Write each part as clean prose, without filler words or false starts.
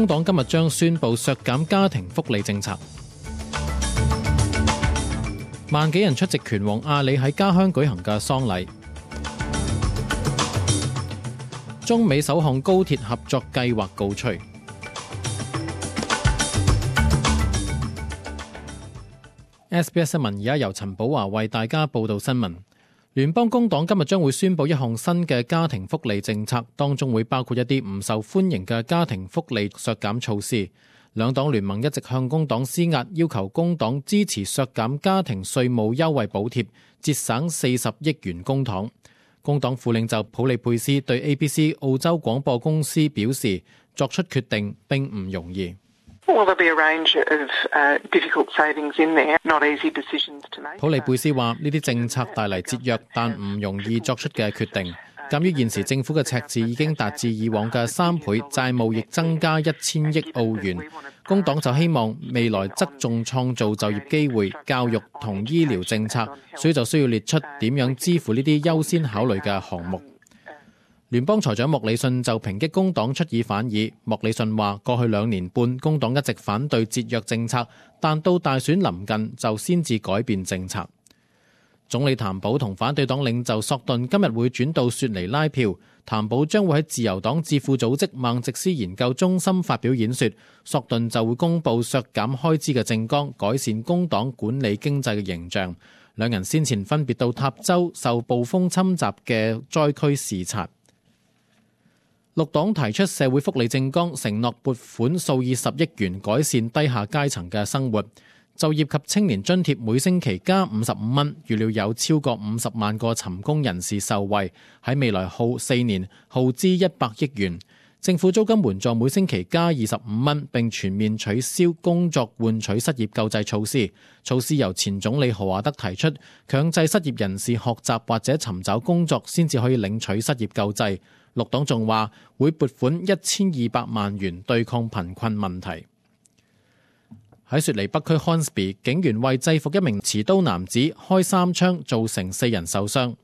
工黨今日將宣布削減家庭福利政策。萬幾人出席拳王阿里喺家鄉舉行嘅喪禮。中美首項高鐵合作計劃告吹。SBS 新聞而家由陳寶華為大家報道新聞。聯邦工黨今日將會宣布一項新嘅家庭福利政策，當中會包括一啲唔受歡迎嘅家庭福利削減措施。兩黨聯盟一直向工黨施壓，要求工黨支持削減家庭稅務優惠補貼，節省40億元公帑。工黨副領袖普利佩斯對 ABC 澳洲廣播公司表示，作出決定並唔容易。普利佩斯話：呢啲政策帶嚟節約，但唔容易作出嘅決定。鑑於現時政府嘅赤字已經達至以往嘅3倍，債務亦增加1000億澳元，工黨就希望未來側重創造就業機會、教育同醫療政策，所以就需要列出點樣支付呢啲優先考慮嘅項目。聯邦財長莫里遜就抨擊工黨出爾反爾。莫里遜話：過去2年半，工黨一直反對節約政策，但到大選臨近就先至改變政策。總理譚寶同反對黨領袖索頓今日會轉到雪梨拉票，譚寶將會喺自由黨智庫組織孟直斯研究中心發表演說，索頓就會公布削減開支嘅政綱，改善工黨管理經濟嘅形象。兩人先前分別到塔州受暴風侵襲嘅災區視察。綠黨提出社會福利政綱，承諾撥款數以10億元改善低下階層嘅生活。就業及青年津貼每星期加55蚊，預料有超過50萬個尋工人士受惠，喺未來4年耗資100億元。政府租金援助每星期加25蚊，並全面取消工作換取失業救濟措施。措施由前總理何華德提出，強制失業人士學習或者尋找工作先至可以領取失業救濟。綠黨仲話會撥款1200萬元對抗貧困問題。喺雪梨北區 Hornsby， 警員為制服一名持刀男子開3槍，造成4人受傷。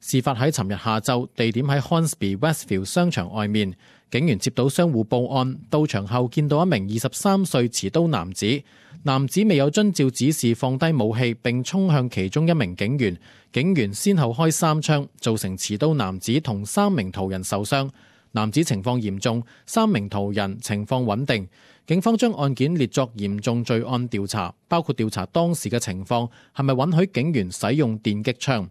事發喺尋日下晝，地點喺 Hornsby Westfield 商場外面。警員接到商戶報案，到場後見到一名23歲持刀男子，男子未有遵照指示放低武器，並衝向其中一名警員。警員先後開3槍，造成持刀男子同3名途人受傷。男子情況嚴重，3名途人情況穩定。警方將案件列作嚴重罪案調查，包括調查當時嘅情況係咪允許警員使用電擊槍。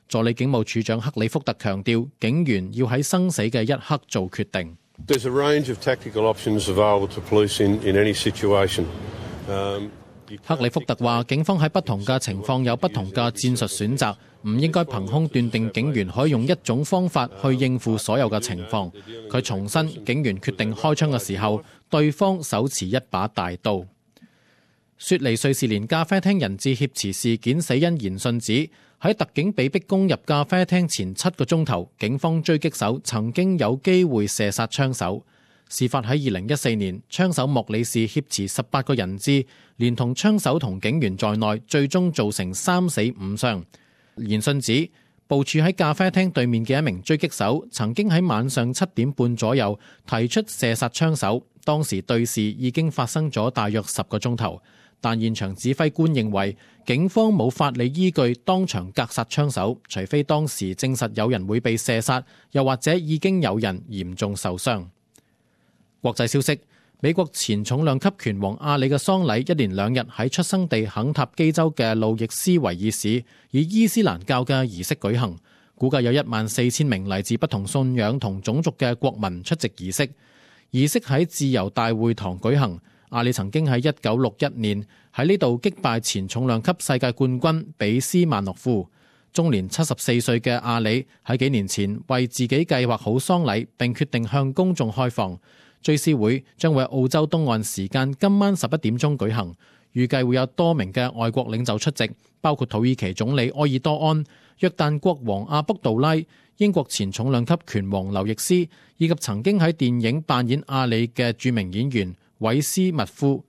助理警務處長克里福特強調，警員要喺生死嘅一刻做決定。克里福特話，警方喺不同嘅情況有不同嘅戰術選擇，唔應該憑空斷定警員可以用一種方法去應付所有嘅情況。佢重申，警員決定開槍嘅時候，對方手持一把大刀。雪梨瑞士連咖啡廳人質挾持事件死因研訊指，喺特警被逼攻入咖啡廳前7個鐘頭，警方狙擊手曾經有機會射殺槍手。事發喺2014年，槍手莫里士挾持18個人質，連同槍手同警員在內，最終造成3死5傷。研訊指，部署喺咖啡廳對面嘅一名狙擊手曾經喺晚上7點半左右提出射殺槍手，當時對峙已經發生咗大約10個鐘頭，但現場指揮官認為警方冇法理依據當場格殺槍手，除非當時證實有人會被射殺，又或者已經有人嚴重受傷。國際消息，美國前重量級拳王阿里嘅喪禮一連2日喺出生地肯塔基州嘅路易斯維爾市以伊斯蘭教嘅儀式舉行，估計有14000名嚟自不同信仰同種族嘅國民出席儀式。儀式喺自由大會堂舉行。阿里曾經喺1961年喺呢度擊敗前重量級世界冠軍比斯曼諾夫。終年74歲嘅阿里喺幾年前為自己計劃好喪禮，並決定向公眾開放。追思會將會喺澳洲東岸時間今晚11點鐘舉行，預計會有多名嘅外國領袖出席，包括土耳其總理埃爾多安、約旦國王阿卜杜拉、英國前重量級拳王劉易斯，以及曾經喺電影扮演阿里嘅著名演員韋斯密夫。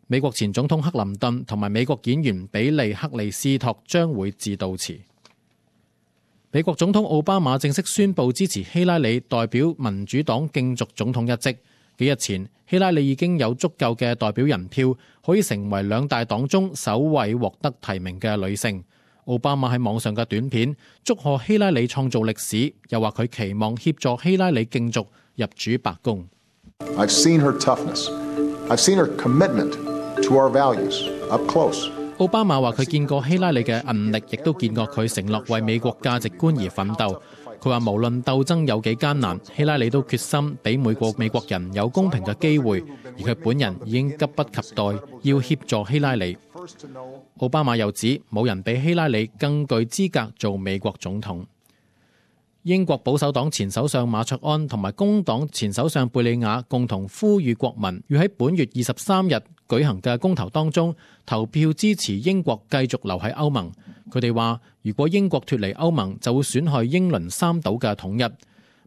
美國前總統克林頓同埋美國演員比利克利斯托將會致悼詞。美國總統奧巴馬正式宣布支持希拉里代表民主黨競逐總統一職。幾日前，希拉里已經有足夠嘅代表人票，可以成為兩大黨中首位獲得提名嘅女性。奧巴馬喺網上嘅短片祝賀希拉里創造歷史，又話佢期望協助希拉里競逐入主白宮。I've seen her toughness. I've seen her commitment to our values up close. 奧巴馬話佢見過希拉里嘅韌力，亦都見過佢承諾為美國價值觀而奮鬥。佢話無論鬥爭有幾艱難，希拉里都決心俾每個美國人有公平嘅機會，而佢本人已經急不及待要協助希拉里。奧巴馬又指冇人比希拉里更具資格做美國總統。英國保守黨前首相馬卓安同埋工黨前首相貝理雅共同呼籲國民要喺本月23日舉行嘅公投當中投票支持英國繼續留喺歐盟。佢哋話，如果英國脫離歐盟，就會損害英倫三島嘅統一。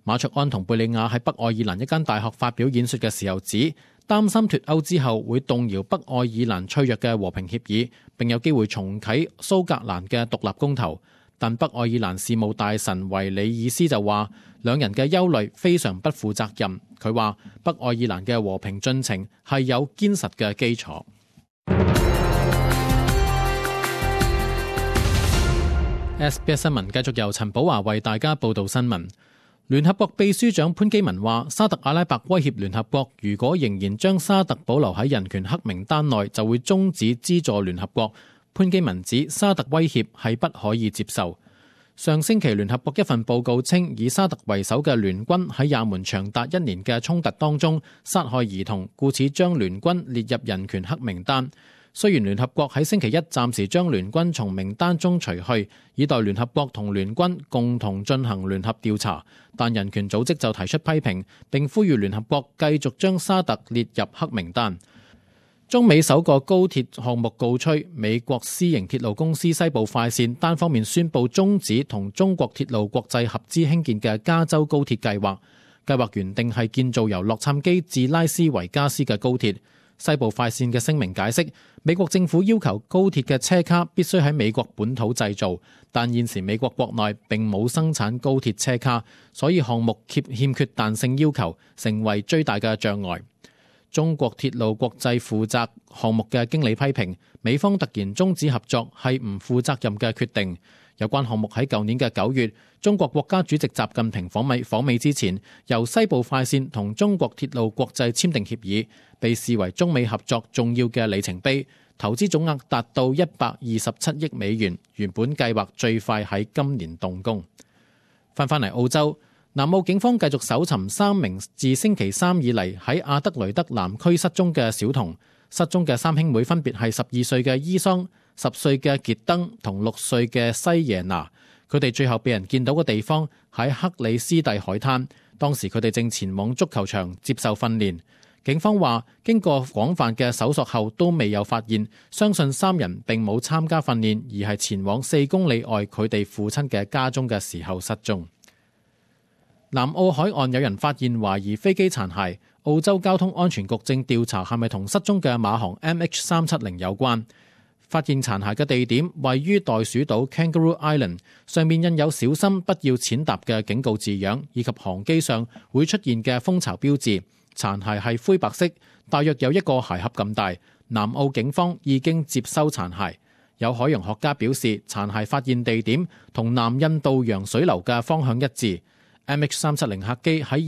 馬卓安同貝理雅喺北愛爾蘭一間大學發表演說嘅時候指，擔心脫歐之後會動搖北愛爾蘭脆弱嘅和平協議，並有機會重啟蘇格蘭嘅獨立公投。但北愛爾蘭事務大臣維里爾斯就話，兩人嘅憂慮非常不負責任。佢話北愛爾蘭嘅和平進程係有堅實嘅基礎。SBS 新聞繼續由陳寶華為大家報道新聞。聯合國秘書長潘基文話，沙特阿拉伯威脅聯合國，如果仍然將沙特保留喺人權黑名單內，就會終止資助聯合國。潘基文指沙特威脅係不可以接受。上星期聯合國一份報告稱，以沙特為首嘅聯軍喺也門長達1年嘅衝突當中殺害兒童，故此將聯軍列入人權黑名單。雖然聯合國喺星期一暫時將聯軍從名單中除去，以待聯合國同聯軍共同進行聯合調查，但人權組織就提出批評，並呼籲聯合國繼續將沙特列入黑名單。中美首個高鐵項目告吹，美國私營鐵路公司西部快線單方面宣布終止同中國鐵路國際合資興建嘅加州高鐵計劃。計劃原定係建造由洛杉磯至拉斯維加斯嘅高鐵。西部快線嘅聲明解釋，美國政府要求高鐵嘅車卡必須喺美國本土製造，但現時美國國內並冇生產高鐵車卡，所以項目欠缺彈性要求，成為最大嘅障礙。中國鐵路國際負責項目嘅經理批評，美方突然終止合作係唔負責任嘅決定。有關項目喺舊年嘅9月，中國國家主席習近平訪美之前，由西部快線同中國鐵路國際簽訂協議，被視為中美合作重要嘅里程碑，投資總額達到127億美元，原本計劃最快喺今年動工。翻嚟澳洲，南澳警方繼續搜尋3名自星期三以嚟喺亞德雷德南區失蹤嘅小童。失蹤嘅3兄妹分別係12歲嘅伊桑、10歲嘅傑登同6歲嘅西耶拿。佢哋最後被人見到嘅地方喺克里斯蒂海灘，當時佢哋正前往足球場接受訓練。警方話，經過廣泛嘅搜索後都未有發現，相信3人並冇參加訓練，而係前往4公里外佢哋父親嘅家中嘅時候失蹤。南澳海岸有人發現懷疑飛機殘骸，澳洲交通安全局正調查係咪同失蹤嘅馬航 MH370 有關。發現殘骸嘅地點位於袋鼠島 Kangaroo Island， 上面印有小心不要踐踏嘅警告字樣，以及航機上會出現嘅蜂巢標誌。殘骸係灰白色，大約有一個鞋盒咁大。南澳警方已經接收殘骸。有海洋學家表示，殘骸發現地點同南印度洋水流嘅方向一致。MH370 客機喺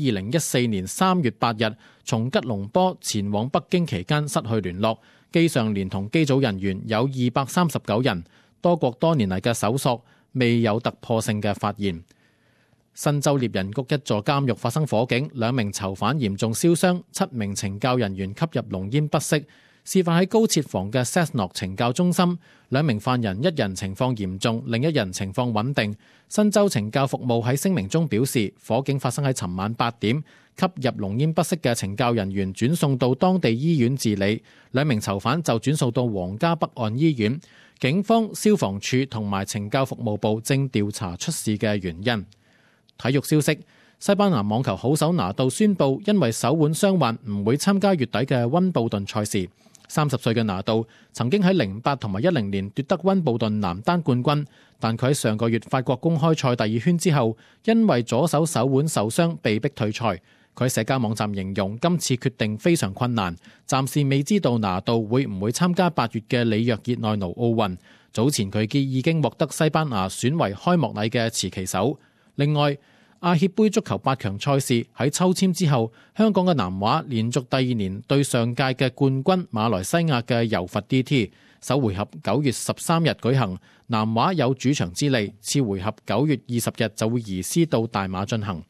2014年3月8日從吉隆坡前往北京期間失去聯絡，機上連同機組人員有239人。多國多年嚟嘅搜索未有突破性嘅發現。新州獵人谷一座監獄發生火警，2名囚犯嚴重燒傷，7名懲教人員吸入濃煙不適。事發喺高設防嘅 Cessnock 懲教中心，2名犯人，一人情況嚴重，另一人情況穩定。新州懲教服務喺聲明中表示，火警發生喺尋晚8點，吸入濃煙不適嘅懲教人員轉送到當地醫院治理，2名囚犯就轉送到皇家北岸醫院。警方、消防處同埋懲教服務部正調查出事嘅原因。體育消息，西班牙網球好手拿度宣布，因為手腕傷患唔會參加月底嘅溫布頓賽事。30歲嘅拿度曾經喺08同埋10年奪得溫布頓男單冠軍，但佢喺上個月法國公開賽第2圈之後，因為左手手腕受傷被迫退賽。佢喺社交網站形容今次決定非常困難，暫時未知道拿度會唔會參加8月嘅里約熱內盧奧運。早前佢已經獲得西班牙選為開幕禮嘅持旗手。另外，亞協盃足球8強賽事喺抽籤之後，香港嘅南華連續第2年對上屆嘅冠軍馬來西亞嘅柔佛 DT， 首回合9月13日舉行，南華有主場之利，次回合9月20日就會移師到大馬進行。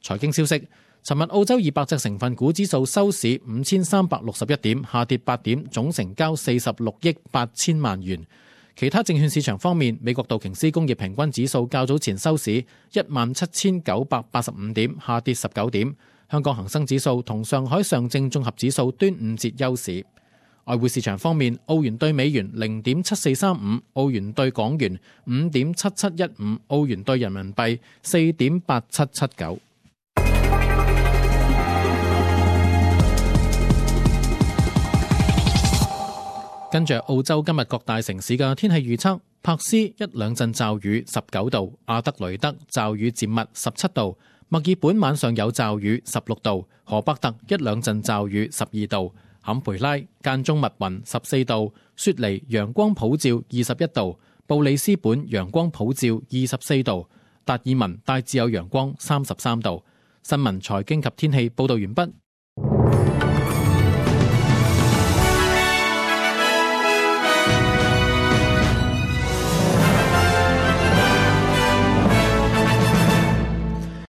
財經消息，尋日澳洲200隻成分股指數收市5361點，下跌8點，總成交46億8000萬元。其他證券市場方面，美國道瓊斯工業平均指數較早前收市17985點，下跌19點。香港恒生指數同上海上證綜合指數端午節休市。外匯市場方面，澳元兌美元0.7435，澳元兌港元5.7715，澳元兌人民幣4.8779。跟住澳洲今日各大城市嘅天氣預測：柏斯1兩陣驟雨19度，阿德雷德驟雨漸密17度，墨爾本晚上有驟雨16度，荷伯特1兩陣驟雨12度，坎培拉間中密雲14度，雪梨陽光普照21度，布里斯本陽光普照24度，達爾文大致有陽光33度。新聞財經及天氣報道完畢。